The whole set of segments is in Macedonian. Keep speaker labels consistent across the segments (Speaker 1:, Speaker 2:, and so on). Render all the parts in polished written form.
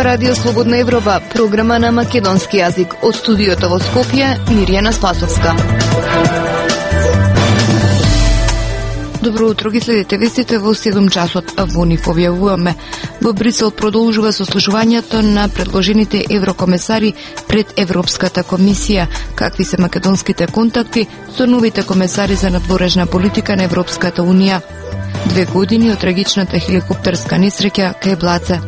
Speaker 1: Радио Слободна Европа, програма на македонски јазик. Од студиото во Скопје, Мирјана Спасовска. Добро утро, ги следите вестите во 7 часот, а во нив објавуваме. Во Брисел продолжува сослушувањето на предложените еврокомесари пред Европската комисија. Какви се македонските контакти со новите комесари за надворешна политика на Европската унија? 2 години од трагичната хеликоптерска несреќа кај Блаце.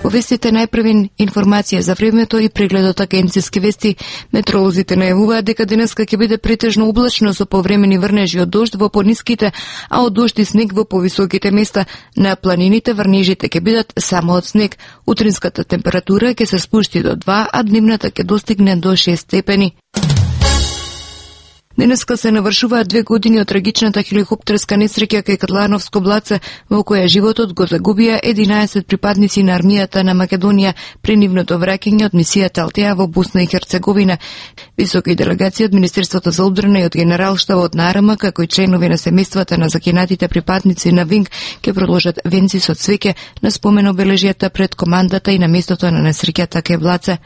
Speaker 1: Во вестите најпрвен информација за времето и прегледот агенцијски вести. Метеоролозите најавуваат дека денеска ќе биде претежно облачно со повремени врнежи од дожд во пониските, а од дожд и снег во повисоките места. На планините врнежите ќе бидат само од снег. Утринската температура ќе се спушти до 2, а дневната ќе достигне до 6 степени. Денеска се навршуваат 2 години од трагичната хеликоптерска несреќа кај Катлановско Блаце, во која животот го загубија 11 припадници на армијата на Македонија при нивното враќање од мисијата Алтеа во Босна и Херцеговина. Високи делегации од Министерството за одбрана и од Генералштабот на АРМА, како и членови на семејствата на загинатите припадници на ВИНГ, ќе продолжат венци со цвеќе на спомен обележјата пред командата и на местото на несреќата кај Блаце.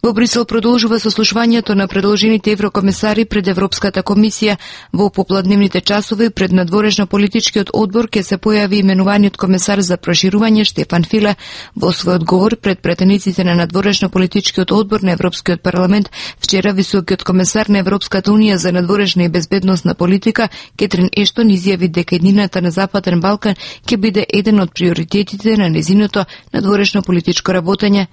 Speaker 1: Во Брисел продолжува сослушувањето на предложените еврокомесари пред Европската комисија. Во попладневните часови пред надворешно политичкиот одбор ќе се појави именуваниот комесар за проширување Штефан Филе. Во свој одговор пред претениците на надворешно политичкиот одбор на Европскиот парламент, вчера високиот комесар на Европската унија за надворешна и безбедносна политика Кетрин Ештон изјави дека еднината на Западен Балкан ќе биде еден од приоритетите на незиното надворешно политичко работење.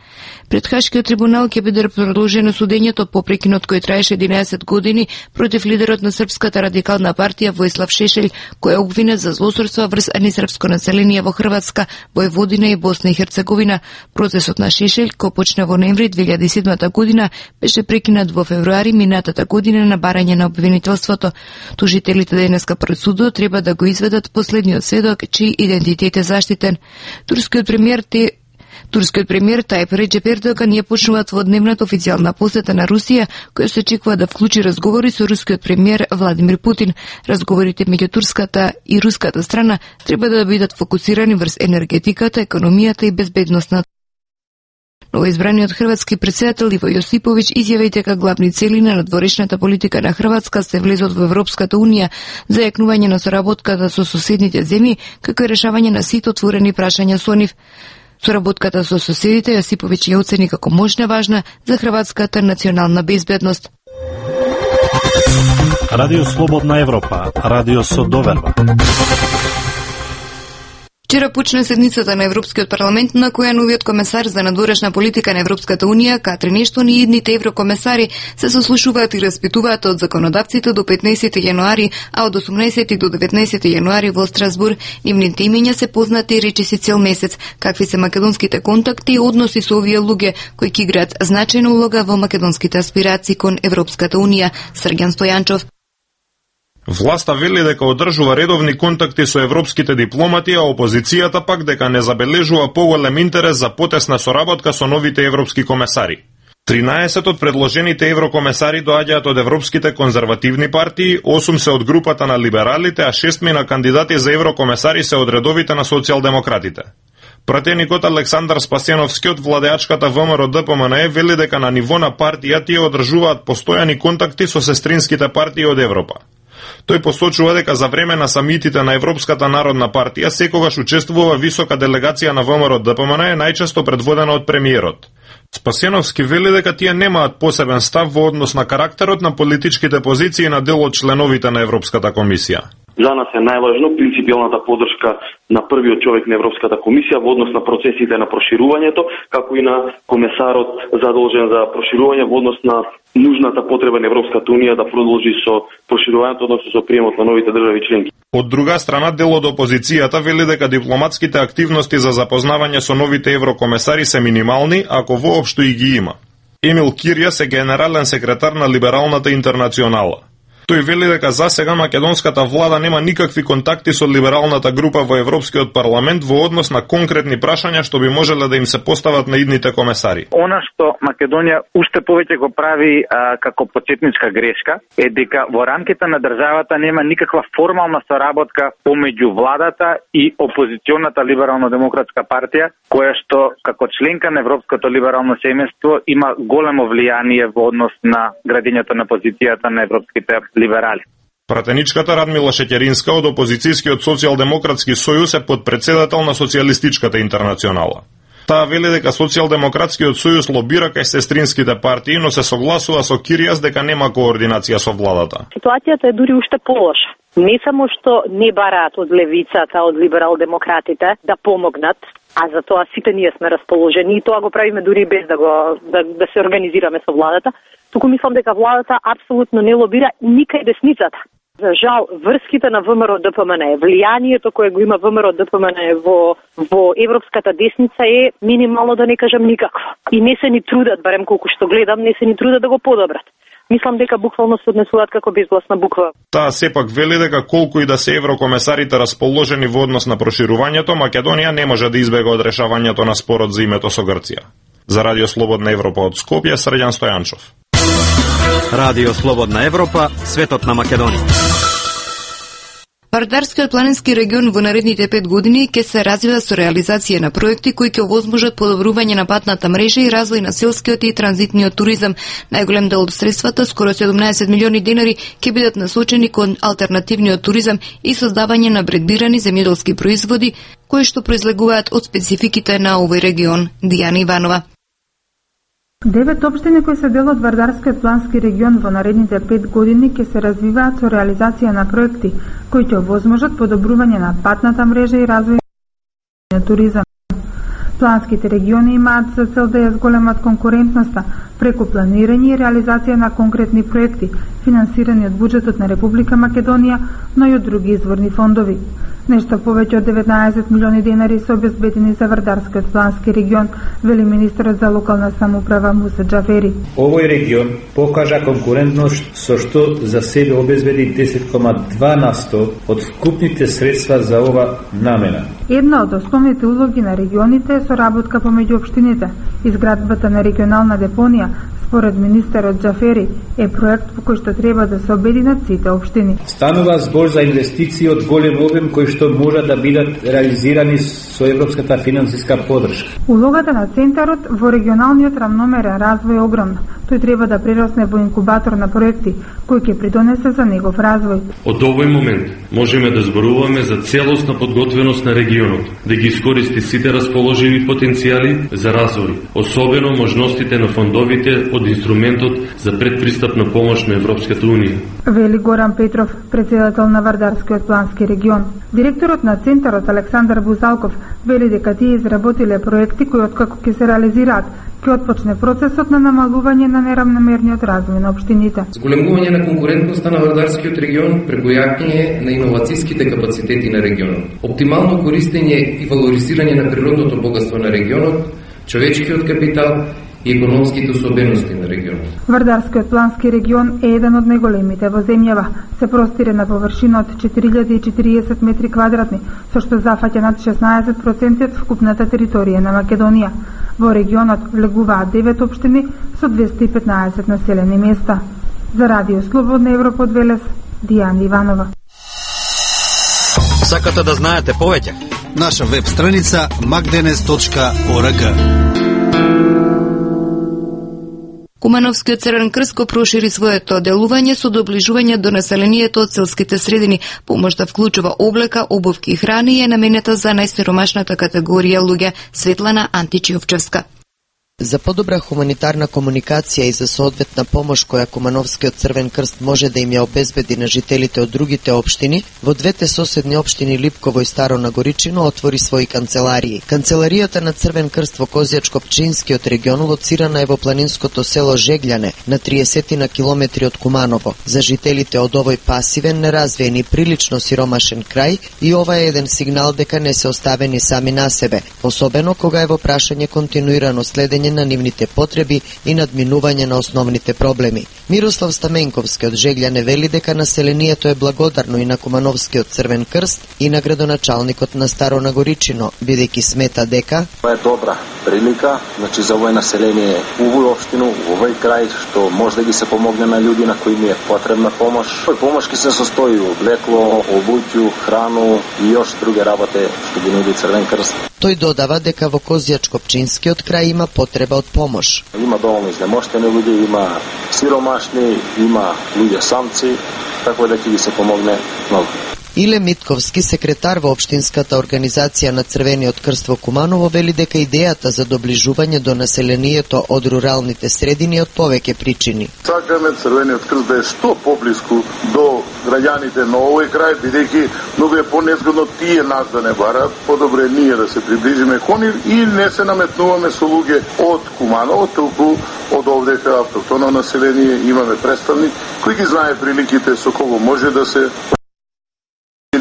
Speaker 1: Пред Хашкиот трибунал ќе биде продолжено судењето по прекинот кој траеше 11 години против лидерот на Српската радикална партија Војслав Шешелј, кој е обвинет за злосторство врз несрпско население во Хрватска, Војводина и Босна и Херцеговина. Процесот на Шешелј, кој почна во ноември 2007 година, беше прекинат во февруари минатата година на барање на обвинителството. Тужителите денеска пред судот треба да го изведат последниот сведок, чиј идентитет е заштитен. Турскиот премиер Тајип Реџеп Ердоган ја почнуваат во дневната официјална посета на Русија, која се очекува да вклучи разговори со рускиот премиер Владимир Путин. Разговорите меѓу турската и руската страна треба да бидат фокусирани врз енергетиката, економијата и безбедноста. Новоизбраниот хрватски претседател Иво Јосиповиќ изјави дека главни цели на надворешната политика на Хрватска се влезот во Европската унија, зајакнување на соработката со соседните земји, како и решавање на сите отворени прашања со нив. Соработката со соседите Јосиповиќ ја оцени како можна важна за хрватската национална безбедност.
Speaker 2: Радио Слободна Европа, радио со доверба.
Speaker 1: Вчера почна седницата на Европскиот парламент, на која новиот комесар за надворешна политика на Европската унија, Катрин Ештон и идните еврокомесари се сослушуваат и распитуваат од законодавците до 15 јануари, а од 18 до 19 јануари во Страсбур. Нивните имења се познати речиси цел месец. Какви се македонските контакти и односи со овие луѓе кои ќе играат значајна улога во македонските аспирации кон Европската унија? Срѓан Стојанчов.
Speaker 3: Власта вели дека одржува редовни контакти со европските дипломати, а опозицијата пак дека не забележува поголем интерес за потесна соработка со новите европски комесари. 13 од предложените еврокомесари доаѓаат од европските конзервативни партии, 8 се од групата на либералите, а 6 на кандидати за еврокомесари се од редовите на социјалдемократите. Пратеникот Александар Спасеновски од владеачката ВМРО ДПМНЕ вели дека на ниво на партија тие одржуваат постојани контакти со сестринските партии од Европа. Тој посочува дека за време на самитите на Европската народна партија секогаш учествува висока делегација на ВМРО ДПМНЕ, најчесто предводена од премиерот. Спасеновски вели дека тие немаат посебен став во однос на карактерот на политичките позиции на дел од членовите на Европската комисија.
Speaker 4: За нас е најважно принципијалната поддршка на првиот човек на Европската комисија во однос на процесите на проширувањето, како и на комесарот задолжен за проширување во однос на нужната потреба на Европската унија да продолжи со проширувањето, односно со приемот на новите држави членки.
Speaker 3: Од друга страна, дел од опозицијата вели дека дипломатските активности за запознавање со новите еврокомесари се минимални, ако воопшто и ги има. Емил Киријас е генерален секретар на Либералната интернационала. Тој вели дека за сега македонската влада нема никакви контакти со либералната група во Европскиот парламент во однос на конкретни прашања што би можеле да им се постават на идните комесари.
Speaker 5: Она што Македонија уште повеќе го прави како почетничка грешка е дека во рамките на државата нема никаква формална соработка помеѓу владата и опозиционата либерално-демократска партија, која што како членка на Европското либерално семејство има големо влијание во однос на градењето на позицијата на европските либерали.
Speaker 3: Пратеничката Радмила Шеќеринска од опозицијскиот социјалдемократски сојуз е подпредседател на Социјалистичката интернационала. Таа вели дека Социјалдемократскиот сојуз лобира кај сестринските партии, но се согласува со Киријас дека нема координација со владата.
Speaker 6: Ситуацијата е дури уште полоша. Не само што не бараат од левицата, од либерал-демократите да помогнат, а за тоа сите ние сме расположени и тоа го правиме дури без да се организираме со владата. Туку мислам дека владата апсолутно не лобира никај десницата. За жал, врските на ВМРО ДПМН, влијанието кое го има ВМРО ДПМН во европската десница е минимално, да не кажам никакво. И не се ни трудат, барем колку што гледам, не се ни трудат да го подобрат. Мислам дека буквално се однесуваат како безгласна буква. Таа
Speaker 3: сепак вели дека колку и да се еврокомесарите расположени во однос на проширувањето, Македонија не може да избега од решавањето на спорот за името со Грција. За Радио Слободна Европа од Скопје, Срđan Стојанчов.
Speaker 7: Радио Слободна Европа, светот на Македонија.
Speaker 1: Вардарскиот планински регион во наредните 5 години ќе се развива со реализација на проекти кои ќе овозможат подобрување на патната мрежа и развој на селскиот и транзитниот туризам. Најголем дел од средствата, скоро 17 милиони денари, ќе бидат насочени кон алтернативниот туризам и создавање на брендирани земјоделски производи кои што произлегуваат од спецификите на овој регион. Дијана Иванова.
Speaker 8: 9 општини кои се дел од Вардарскиот плански регион во наредните 5 години ќе се развиваат со реализација на проекти кои ќе овозможат подобрување на патната мрежа и развој на туризам. Планските региони имаат за цел да ја зголемат конкурентноста преку планирање и реализација на конкретни проекти, финансирани од буџетот на Република Македонија, но и од други изворни фондови. Нешто повеќе од 19 милиони денари се обезбедени за Вардарскиот плански регион, вели министерот за локална самоуправа Муса Џафери.
Speaker 9: Овој регион покажа конкурентност со што за себе обезбеди 10,2% од вкупните средства за ова намена.
Speaker 8: Една од основните улоги на регионите е соработка помеѓу општините. Изградбата на регионална депонија, според министерот Џафери, е проект по кој што треба да се обединат сите општини.
Speaker 9: Станува збор за инвестиции од голем обем кои што можат да бидат реализирани со европската финансиска поддршка.
Speaker 8: Улогата на центарот во регионалниот рамномерен развој е огромна. Тој треба да прерасне во инкубатор на проекти кој ќе придонесе за негов развој.
Speaker 10: Од овој момент можеме да зборуваме за целосна подготвеност на регионот, да ги искористи сите расположиви потенцијали за развој, особено можностите на фондовите од инструментот за предпристапна помош на Европската Унија.
Speaker 8: Вели Горан Петров, председател на Вардарскиот плански регион. Директорот на центарот Александар Бузалков вели дека тие изработиле проекти кои откако ќе се реализираат, ќе отпочне процесот на намалување на неравномерниот развој на општините.
Speaker 11: Зголемување на конкурентноста на Вардарскиот регион преку јакнење на иновацијските капацитети на регионот, оптимално користење и валоризирање на природното богатство на регионот, човечкиот капитал и економските особености на регионот.
Speaker 8: Вардарскиот плански регион е еден од најголемите во земјава. Се простира на површина од 4040 метри квадратни, со што зафаќа над 16% од вкупната територија на Македонија. Во регионот влегуваат 9 општини со 215 населени места. За Радио Слободна Европа од Велес, Дијана Иванова.
Speaker 7: Сакате да знаете повеќе?
Speaker 12: Наша веб страница magdenes.org.
Speaker 1: Кумановскиот Црвен крст го прошири своето делување со доближување до населението од селските средини. Помошта вклучува облека, обувки и храни и е наменета за најсиромашната категорија луѓе. Светлана Античиовчевска.
Speaker 13: За подобра хуманитарна комуникација и за соодветна помош која Кумановскиот Црвен крст може да им ја обезбеди на жителите од другите општини, во двете соседни општини Липково и Старо Нагоричино отвори своји канцеларии. Канцеларијата на Црвен крст во Козјачко-Пчинскиот регион лоцирана е во планинското село Жеглјане, на 30 на километри од Куманово. За жителите од овој пасивен, неразвиен и прилично сиромашен крај, и ова е еден сигнал дека не се оставени сами на себе, особено кога е во прашање континуирано следење на нивните потреби и надминување на основните проблеми. Мирослав Стаменковски од Жеглјане вели дека населението е благодарно и на Кумановскиот Црвен крст и на градоначалникот на Старо Нагоричино, бидејќи смета дека
Speaker 14: тоа е добра прилика, значи за овој население овој општину, овој крај што може да ги се помогне на луѓе на кои ми е потребна помош. Помош ки се состои од облекло, обуќу, храну и још други работи што ги нуди Црвен крст.
Speaker 13: Тој додава дека во Козјачко-Пчинскиот крај има потреба од помош.
Speaker 14: Има доволно изнемоштени луѓе, има сиромашни, има луѓе самци, така да ќе ги се помогне многу.
Speaker 13: Иле Митковски, секретар во Општинската организација на Црвениот крст во Куманово, вели дека идејата за доближување до населението од руралните средини од повеќе причини.
Speaker 15: Сакаме Црвениот крст да е што поблиску до граѓаните на овој крај, бидејќи многу е понезгодно тие нас да не барат, подобре ние да се приближиме кон нив и не се наметнуваме со луѓе од Куманово, толку од овдека автохтоно население имаме представник кој ги знае приликите со кого може да се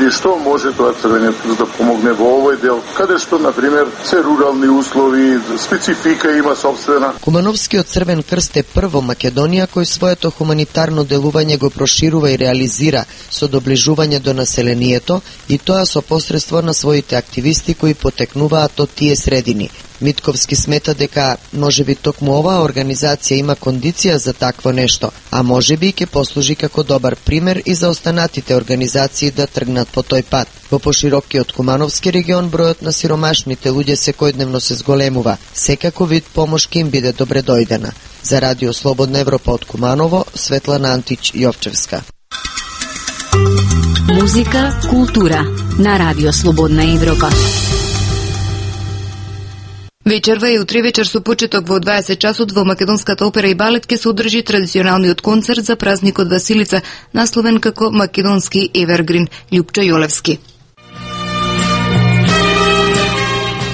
Speaker 15: или што може тоа Црвениот крст да помогне во овој дел, каде што, например, се рурални услови, специфика има собствена.
Speaker 13: Кумановскиот Црвен крст е прво Македонија кој своето хуманитарно делување го проширува и реализира со доближување до населението и тоа со посредство на своите активисти кои потекнуваат од тие средини. Митковски смета дека можеби токму оваа организација има кондиција за такво нешто, а можеби и ќе послужи како добар пример и за останатите организации да тргнат по тој пат. Во поширокиот Кумановски регион бројот на сиромашните луѓе секојдневно се зголемува. Секако вид помош ќе им биде добре дојдена. За Радио Слободна Европа од Куманово, Светлана Антич Јовчевска.
Speaker 16: Музика, култура на Радио Слободна Европа.
Speaker 1: Вечерва и утре вечер со почеток во 20 часот во Македонската опера и балет ќе се одржи традиционалниот концерт за празникот Василица, насловен како Македонски Евергрин. Љупчо Јолевски.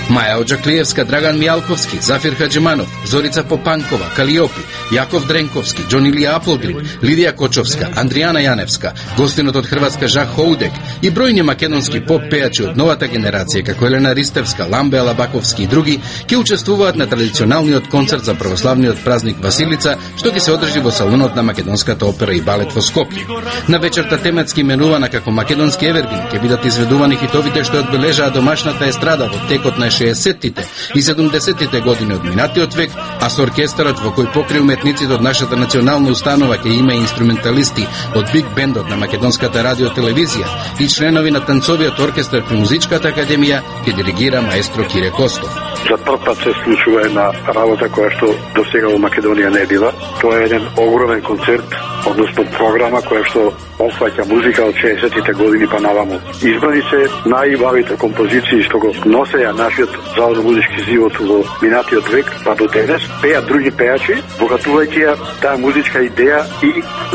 Speaker 17: Маја Оджаклиевска, Драган Мијалковски, Зафир Хаджиманов, Зорица Попанкова, Калиопи, Јаков Дренковски, Џон Илија Аплгрин, Лидија Кочовска, Андријана Јаневска, гостинот од Хрватска Жак Хоудек и бројни македонски поп пејачи од новата генерација како Елена Ристевска, Ламбе Алабаковски и други ќе учествуваат на традиционалниот концерт за православниот празник Василица, што ќе се одржи во салонот на Македонската опера и балет во Скопје. На вечерта теметски именувана како Македонски Евергрин ќе бидат изведувани хитовите што одбележаа домашната естрада во текот на 60-тите и 70-тите години од минатиот век, а со оркестарот во кој покри уметниците од нашата национална установа ќе има и инструменталисти од Биг Бендот на Македонската радиотелевизија и членови на танцовиот оркестар при Музичката академија ќе диригира маестро Кире Костов.
Speaker 18: За прв пат се случува една работа која што досега во Македонија не била. Тоа е еден огромен концерт, односно програма која што опфаќа музика од 60-тите години па наваму. Избрани се најубавите композиции што го носеја нашиот заодно-музички живот во минатиот век, па до денес, пеат други пејачи, богатувајќи ја таа музичка идеја и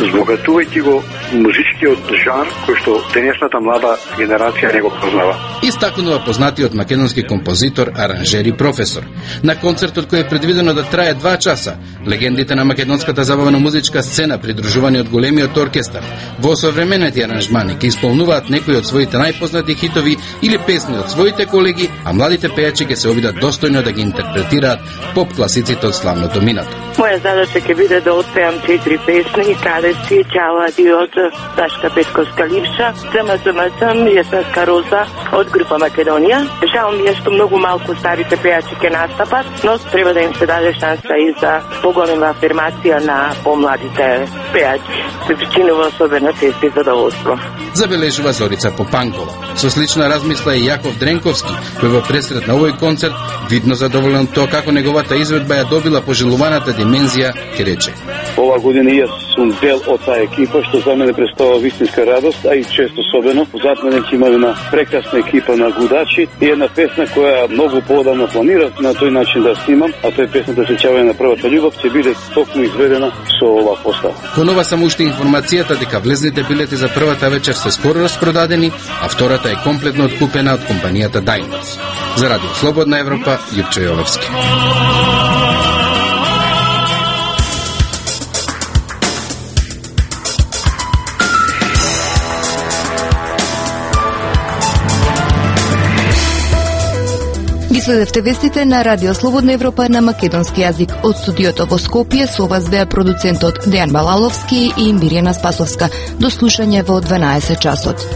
Speaker 18: збогатувајќи го музичкиот жанр кој што денешната млада генерација не го познава.
Speaker 17: Истакнува познатиот македонски композитор, аранжер и професор. На концертот кој е предвидено да трае 2 часа, легендите на македонската забавно-музичка сцена придружувани од големиот оркестар во современети аранжмани ќе исполнуваат некои од своите најпознати хитови или песни од своите колеги, а младите пејачи ќе се обидат достојно да ги интерпретираат поп класиците од славното минато.
Speaker 19: Моја задача ќе биде да отпеам 4 песни, каде си Чала Диот, Дашка Петковска Ливша, Цмцмцм, Јесенска Роза од група Македонија. Жал ми е што многу малку старите пејачи ќе настапат, но треба да им се даде шанса и за поголема афирмација на помладите пејачи. Се причинува особено чест и задоволство.
Speaker 17: Забележува Зорица Попанкова. Со слична размисла и Јаков Дренковски, кој во пресред на овој концерт, видно задоволен тоа како неговата изведба ја добила пожелуваната димензија, ќе рече:
Speaker 18: Ова година јас сум дел од таа екипа, што за мене представува вистинска радост, а и чест особено. Зад мене ќе има една прекрасна екипа на гудачи и една песна која многу поодамна планирав на тој начин да снимам, а тоа е песната Сеќавање на првата љубов, ќе биде токму изведена со ова постава.
Speaker 17: Кон ова само уште информацијата дека влезните билети за првата вечер се скоро распродадени, а втората е комплетно откупена од компанијата Diners. За Радио Слободна Европа, Љупчо Јолевски.
Speaker 1: Ги Следевте вестите на Радио Слободна Европа на македонски јазик. Од студиото во Скопје со вас беа продуцентот Дејан Балаловски и Мирјана Спасовска. До слушање во 12 часот.